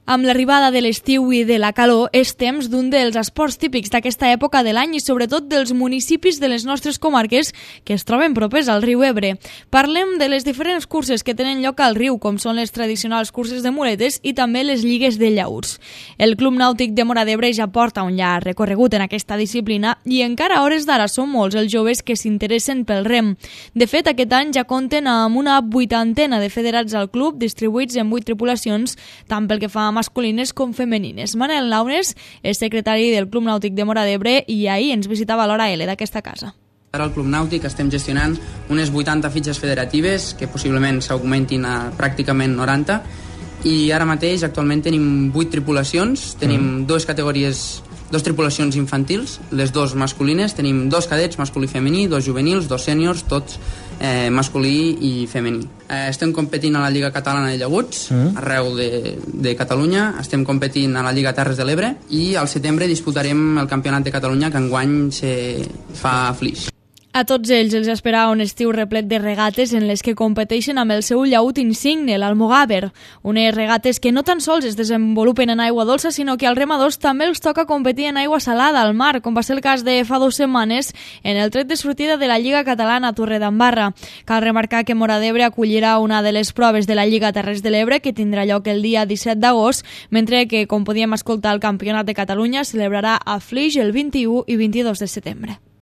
Amb l'arribada de l'estiu i de la calor és temps d'un dels esports típics d'aquesta època de l'any i sobretot dels municipis de les nostres comarques que es troben propers al riu Ebre. Parlem de les diferents curses que tenen lloc al riu, com són les tradicionals curses de muletes i també les lligues de llaüts. El Club Nàutic de Móra d'Ebre ja porta un llarg recorregut en aquesta disciplina i encara a hores d'ara són molts els joves que s'interessen pel rem. De fet, aquest any ja compten amb una 80ena de federats al club, distribuïts en 8 tripulacions, tant pel que fa a masculines com femenines. Manel Launes és secretari del Club Nàutic de Móra d'Ebre i ahir ens visitava l'hora L d'aquesta casa. Ara al Club Nàutic estem gestionant unes 80 fitxes federatives que possiblement s'augmentin a pràcticament 90 i ara mateix actualment tenim 8 tripulacions, tenim dues tripulacions infantils, les dues masculines, tenim 2 cadets, masculí i femení, 2 juvenils, 2 sèniors, tots masculí i femení. Estem competint a la Lliga Catalana de Llaüts, arreu de Catalunya, estem competint a la Lliga Terres de l'Ebre i al setembre disputarem el Campionat de Catalunya que enguany se fa a Flix. A tots ells els espera un estiu replet de regates en les que competeixen amb el seu llaüt insigne, l'Almogàver. Unes regates que no tan sols es desenvolupen en aigua dolça, sinó que als remadors també els toca competir en aigua salada al mar, com va ser el cas de fa 2 setmanes en el tret de sortida de la Lliga Catalana a Torredembarra. Cal remarcar que Móra d'Ebre acollirà una de les proves de la Lliga Terres de l'Ebre, que tindrà lloc el dia 17 d'agost, mentre que, com podíem escoltar, el Campionat de Catalunya celebrarà a Flix el 21 i 22 de setembre.